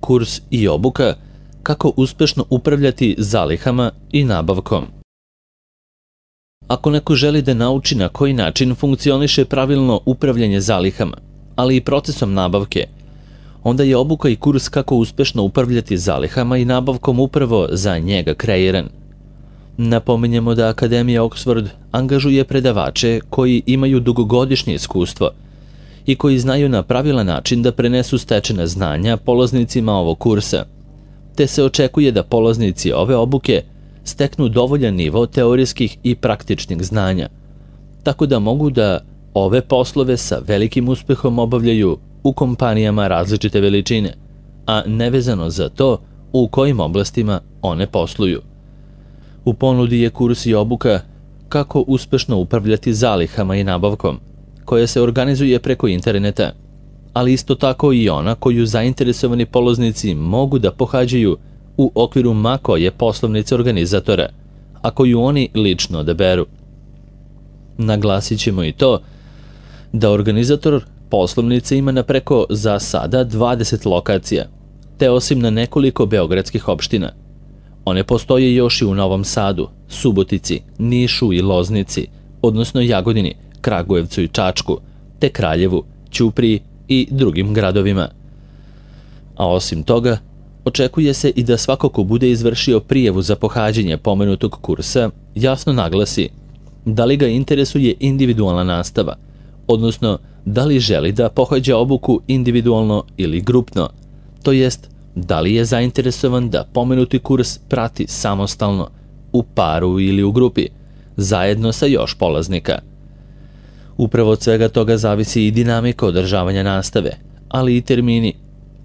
kurs i obuka kako uspešno upravljati zalihama i nabavkom. Ako neko želi da nauči na koji način funkcioniše pravilno upravljanje zalihama, ali i procesom nabavke, onda je obuka i kurs kako uspešno upravljati zalihama i nabavkom upravo za njega kreiran. Napominjemo da Akademija Oxford angažuje predavače koji imaju dugogodišnje iskustvo i koji znaju na pravilan način da prenesu stečena znanja polaznicima ovog kursa, te se očekuje da polaznici ove obuke steknu dovoljan nivo teorijskih i praktičnih znanja, tako da mogu da ove poslove sa velikim uspehom obavljaju u kompanijama različite veličine, a nevezano za to u kojim oblastima one posluju. U ponudi je kurs i obuka kako uspešno upravljati zalihama i nabavkom, koja se organizuje preko interneta, ali isto tako i ona koju zainteresovani polaznici mogu da pohađaju u okviru ma koje poslovnice organizatora, a koju oni lično odaberu. Naglasit ćemo i to da organizator poslovnice ima na preko za sada 20 lokacija, te osim na nekoliko beogradskih opština. One postoje još i u Novom Sadu, Subotici, Nišu i Loznici, odnosno Jagodini, Kragujevcu i Čačku, te Kraljevu, Ćupriji i drugim gradovima. A osim toga, očekuje se i da svako ko bude izvršio prijavu za pohađanje pomenutog kursa jasno naglasi da li ga interesuje individualna nastava, odnosno da li želi da pohađa obuku individualno ili grupno, to jest da li je zainteresovan da pomenuti kurs prati samostalno, u paru ili u grupi, zajedno sa još polaznika. Upravo od svega toga zavisi i dinamika održavanja nastave, ali i termini,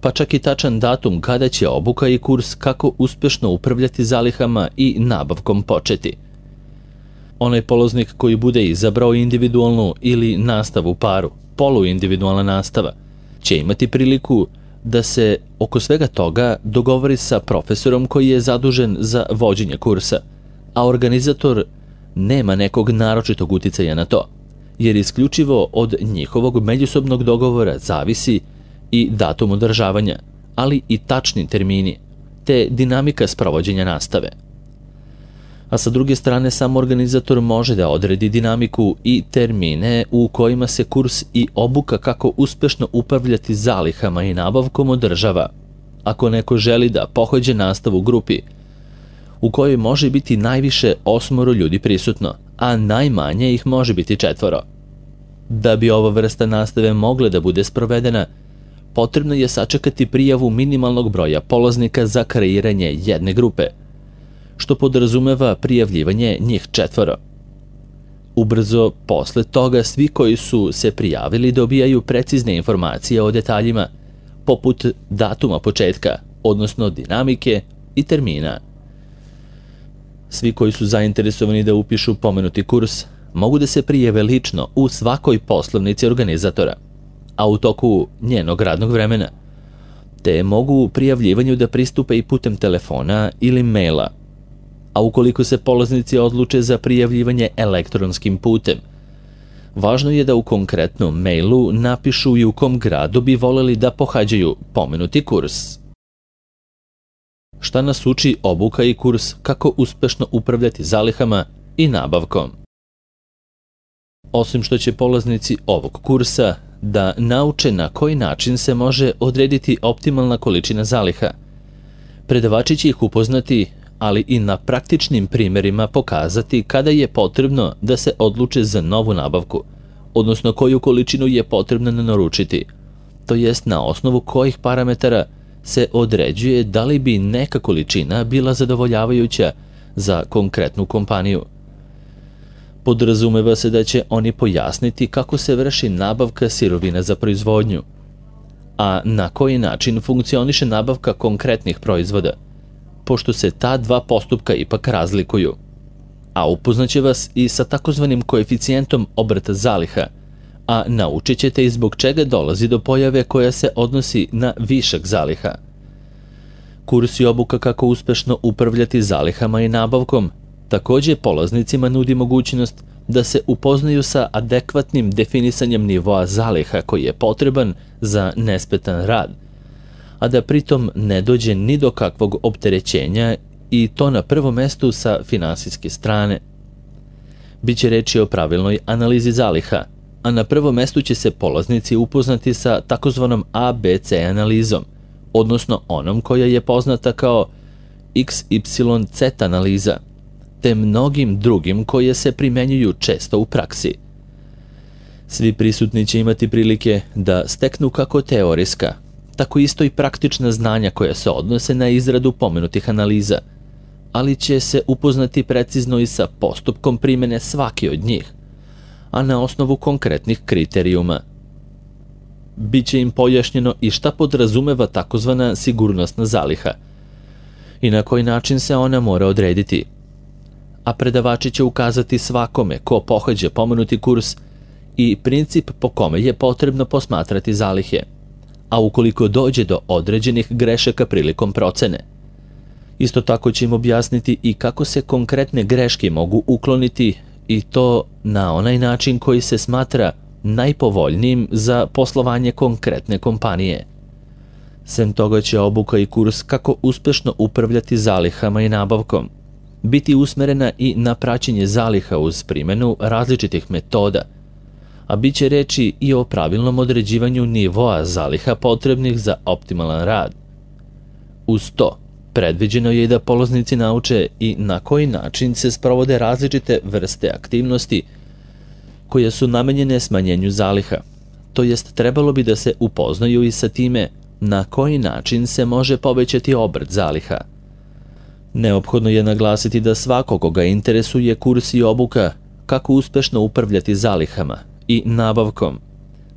pa čak i tačan datum kada će obuka i kurs kako uspešno upravljati zalihama i nabavkom početi. Onaj polaznik koji bude izabrao individualnu ili nastavu u paru, poluindividualna nastava, će imati priliku da se oko svega toga dogovori sa profesorom koji je zadužen za vođenje kursa, a organizator nema nekog naročitog uticaja na to, jer isključivo od njihovog međusobnog dogovora zavisi i datum održavanja, ali i tačni termini, te dinamika sprovođenja nastave. A sa druge strane, sam organizator može da odredi dinamiku i termine u kojima se kurs i obuka kako uspešno upravljati zalihama i nabavkom održava, ako neko želi da pohađa nastavu u grupi, u kojoj može biti najviše 8 ljudi prisutno, a najmanje ih može biti 4. Da bi ova vrsta nastave mogla da bude sprovedena, potrebno je sačekati prijavu minimalnog broja polaznika za kreiranje jedne grupe, što podrazumeva prijavljivanje njih 4. Ubrzo posle toga svi koji su se prijavili dobijaju precizne informacije o detaljima, poput datuma početka, odnosno dinamike i termina. Svi koji su zainteresovani da upišu pomenuti kurs mogu da se prijave lično u svakoj poslovnici organizatora, a u toku njenog radnog vremena, te mogu prijavljivanju da pristupe i putem telefona ili maila. A ukoliko se polaznici odluče za prijavljivanje elektronskim putem, važno je da u konkretnom mailu napišu i u kom gradu bi voleli da pohađaju pomenuti kurs. Šta nas uči obuka i kurs kako uspešno upravljati zalihama i nabavkom? Osim što će polaznici ovog kursa da nauče na koji način se može odrediti optimalna količina zaliha, predavači će ih upoznati, ali i na praktičnim primjerima pokazati kada je potrebno da se odluče za novu nabavku, odnosno koju količinu je potrebno naručiti, to jest na osnovu kojih parametara se određuje da li bi neka količina bila zadovoljavajuća za konkretnu kompaniju. Podrazumeva se da će oni pojasniti kako se vrši nabavka sirovina za proizvodnju, a na koji način funkcioniše nabavka konkretnih proizvoda, pošto se ta dva postupka ipak razlikuju, a upoznaće vas i sa takozvanim koeficijentom obrata zaliha, a naučit ćete i zbog čega dolazi do pojave koja se odnosi na višak zaliha. Kurs i obuka kako uspešno upravljati zalihama i nabavkom takođe polaznicima nudi mogućnost da se upoznaju sa adekvatnim definisanjem nivoa zaliha koji je potreban za nesmetan rad, a da pritom ne dođe ni do kakvog opterećenja i to na prvom mestu sa finansijske strane. Biće reči o pravilnoj analizi zaliha, a na prvom mestu će se polaznici upoznati sa takozvanom ABC analizom, odnosno onom koja je poznata kao XYZ analiza, te mnogim drugim koje se primenjuju često u praksi. Svi prisutni će imati prilike da steknu kako teorijska, tako isto i praktična znanja koja se odnose na izradu pomenutih analiza, ali će se upoznati precizno i sa postupkom primene svake od njih, a na osnovu konkretnih kriterijuma. Biće im pojašnjeno i šta podrazumeva takozvana sigurnosna zaliha i na koji način se ona mora odrediti. A predavači će ukazati svakome ko pohađa pomenuti kurs i princip po kome je potrebno posmatrati zalihe, a ukoliko dođe do određenih grešaka prilikom procene. Isto tako će im objasniti i kako se konkretne greške mogu ukloniti i to na onaj način koji se smatra najpovoljnijim za poslovanje konkretne kompanije. Sem toga će obuka i kurs kako uspešno upravljati zalihama i nabavkom biti usmerena i na praćenje zaliha uz primjenu različitih metoda, a bit će reči i o pravilnom određivanju nivoa zaliha potrebnih za optimalan rad. Uz to, predviđeno je i da polaznici nauče i na koji način se sprovode različite vrste aktivnosti koje su namenjene smanjenju zaliha, to jest trebalo bi da se upoznaju i sa time na koji način se može povećati obrt zaliha. Neophodno je naglasiti da svako koga interesuje kurs i obuka kako uspešno upravljati zalihama i nabavkom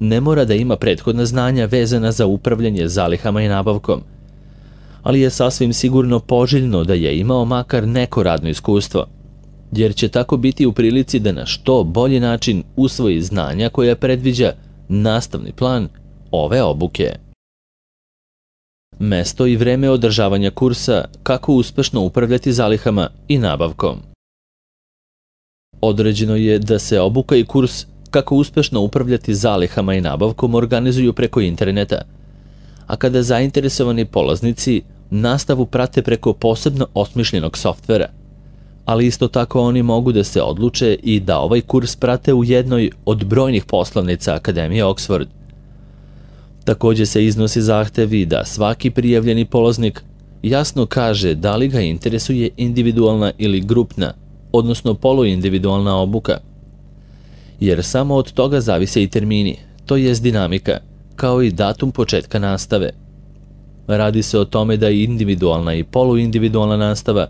ne mora da ima prethodna znanja vezana za upravljanje zalihama i nabavkom, ali je sasvim sigurno poželjno da je imao makar neko radno iskustvo, jer će tako biti u prilici da na što bolji način usvoji znanja koja predviđa nastavni plan ove obuke. Mesto i vreme održavanja kursa kako uspešno upravljati zalihama i nabavkom. Određeno je da se obuka i kurs kako uspešno upravljati zalihama i nabavkom organizuju preko interneta, a kada zainteresovani polaznici nastavu prate preko posebno osmišljenog softvera, ali isto tako oni mogu da se odluče i da ovaj kurs prate u jednoj od brojnih poslovnica Akademije Oxford. Također se iznosi zahtevi da svaki prijavljeni polaznik jasno kaže da li ga interesuje individualna ili grupna, odnosno poluindividualna obuka, jer samo od toga zavise i termini, to jest dinamika, kao i datum početka nastave. Radi se o tome da i individualna i poluindividualna nastava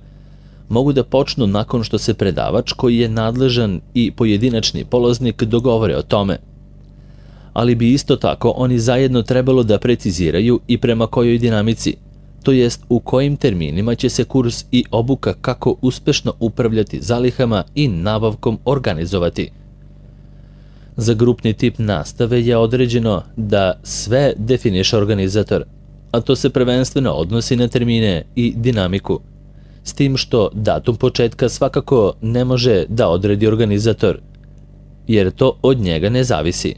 mogu da počnu nakon što se predavač koji je nadležan i pojedinačni polaznik dogovore o tome, ali bi isto tako oni zajedno trebalo da preciziraju i prema kojoj dinamici, to jest u kojim terminima će se kurs i obuka kako uspešno upravljati zalihama i nabavkom organizovati. Za grupni tip nastave je određeno da sve definiše organizator, a to se prvenstveno odnosi na termine i dinamiku, s tim što datum početka svakako ne može da odredi organizator, jer to od njega ne zavisi.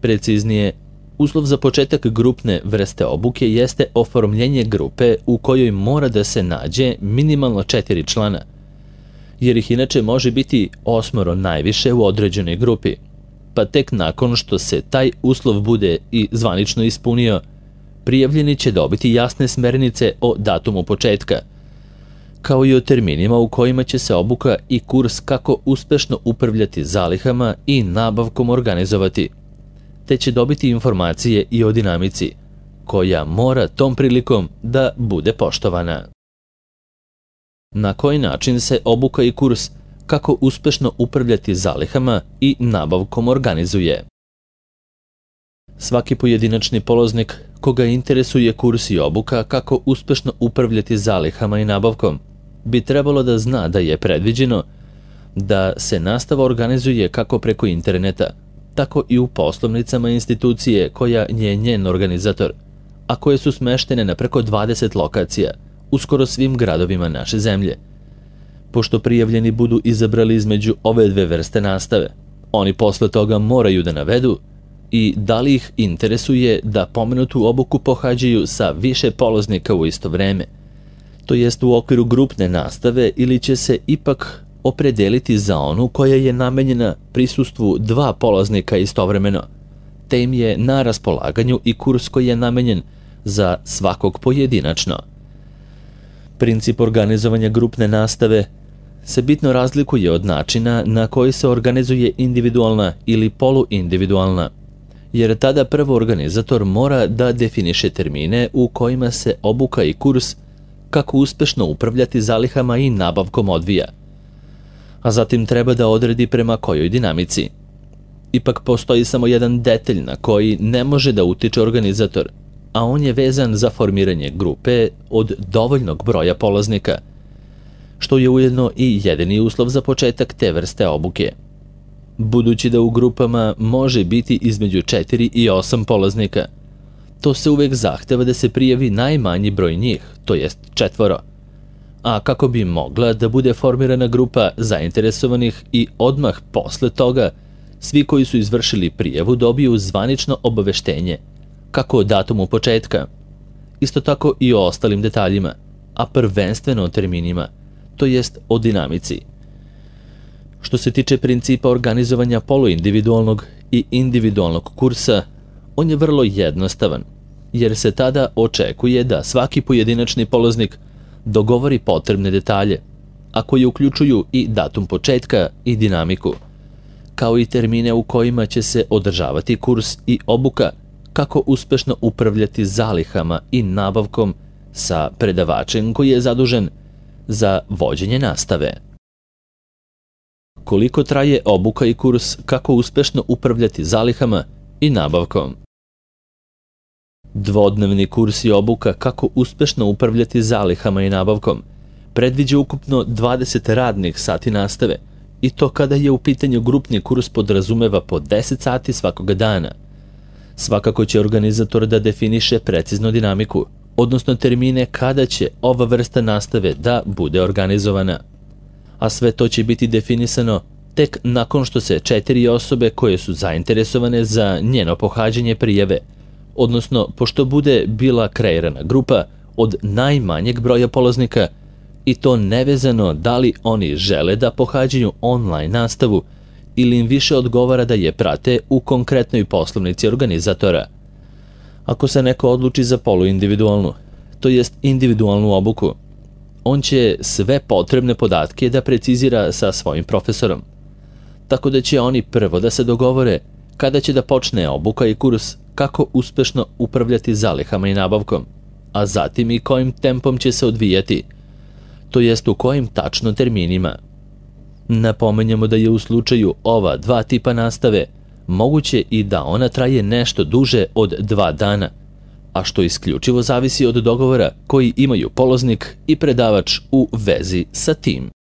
Preciznije, uslov za početak grupne vrste obuke jeste oformljenje grupe u kojoj mora da se nađe minimalno 4 člana, jer ih inače može biti 8 najviše u određenoj grupi, pa tek nakon što se taj uslov bude i zvanično ispunio, prijavljeni će dobiti jasne smernice o datumu početka, kao i o terminima u kojima će se obuka i kurs kako uspešno upravljati zalihama i nabavkom organizovati, te će dobiti informacije i o dinamici, koja mora tom prilikom da bude poštovana. Na koji način se obuka i kurs kako uspešno upravljati zalihama i nabavkom organizuje? Svaki pojedinačni polaznik koga interesuje kurs i obuka kako uspešno upravljati zalihama i nabavkom bi trebalo da zna da je predviđeno da se nastava organizuje kako preko interneta, tako i u poslovnicama institucije koja je njen organizator, a koje su smeštene na preko 20 lokacija u skoro svim gradovima naše zemlje. Pošto prijavljeni budu izabrali između ove dve vrste nastave, oni posle toga moraju da navedu i da li ih interesuje da pomenutu obuku pohađaju sa više polaznika u isto vreme, to jest u okviru grupne nastave, ili će se ipak opredeliti za onu koja je namenjena prisustvu 2 polaznika istovremeno, te im je na raspolaganju i kurs koji je namenjen za svakog pojedinačno. Princip organizovanja grupne nastave se bitno razlikuje od načina na koji se organizuje individualna ili poluindividualna, jer tada prvo organizator mora da definiše termine u kojima se obuka i kurs kako uspešno upravljati zalihama i nabavkom odvija, a zatim treba da odredi prema kojoj dinamici. Ipak postoji samo jedan detalj na koji ne može da utiče organizator, a on je vezan za formiranje grupe od dovoljnog broja polaznika, što je ujedno i jedini uslov za početak te vrste obuke. Budući da u grupama može biti između 4 i 8 polaznika, to se uvek zahteva da se prijavi najmanji broj njih, to jest 4. A kako bi mogla da bude formirana grupa zainteresovanih i odmah posle toga svi koji su izvršili prijavu dobiju zvanično obaveštenje, kako o datumu početka, isto tako i o ostalim detaljima, a prvenstveno o terminima, to jest o dinamici. Što se tiče principa organizovanja poluindividualnog i individualnog kursa, on je vrlo jednostavan, jer se tada očekuje da svaki pojedinačni polaznik dogovori potrebne detalje, a koji uključuju i datum početka i dinamiku, kao i termine u kojima će se održavati kurs i obuka kako uspešno upravljati zalihama i nabavkom sa predavačem koji je zadužen za vođenje nastave. Koliko traje obuka i kurs kako uspešno upravljati zalihama i nabavkom? Dvodnevni kurs i obuka kako uspešno upravljati zalihama i nabavkom predviđa ukupno 20 radnih sati nastave, i to kada je u pitanju grupni kurs podrazumeva po 10 sati svakoga dana. Svakako će organizator da definiše precizno dinamiku, odnosno termine kada će ova vrsta nastave da bude organizovana. A sve to će biti definisano tek nakon što se 4 osobe koje su zainteresovane za njeno pohađanje prijave, odnosno pošto bude bila kreirana grupa od najmanjeg broja polaznika, i to nevezano da li oni žele da pohađaju online nastavu ili im više odgovara da je prate u konkretnoj poslovnici organizatora. Ako se neko odluči za poluindividualnu, to jest individualnu obuku, on će sve potrebne podatke da precizira sa svojim profesorom, tako da će oni prvo da se dogovore kada će da počne obuka i kurs kako uspešno upravljati zalihama i nabavkom, a zatim i kojim tempom će se odvijati, to jest u kojim tačno terminima. Napomenjamo da je u slučaju ova 2 tipa nastave moguće i da ona traje nešto duže od 2 dana, a što isključivo zavisi od dogovora koji imaju polaznik i predavač u vezi sa tim.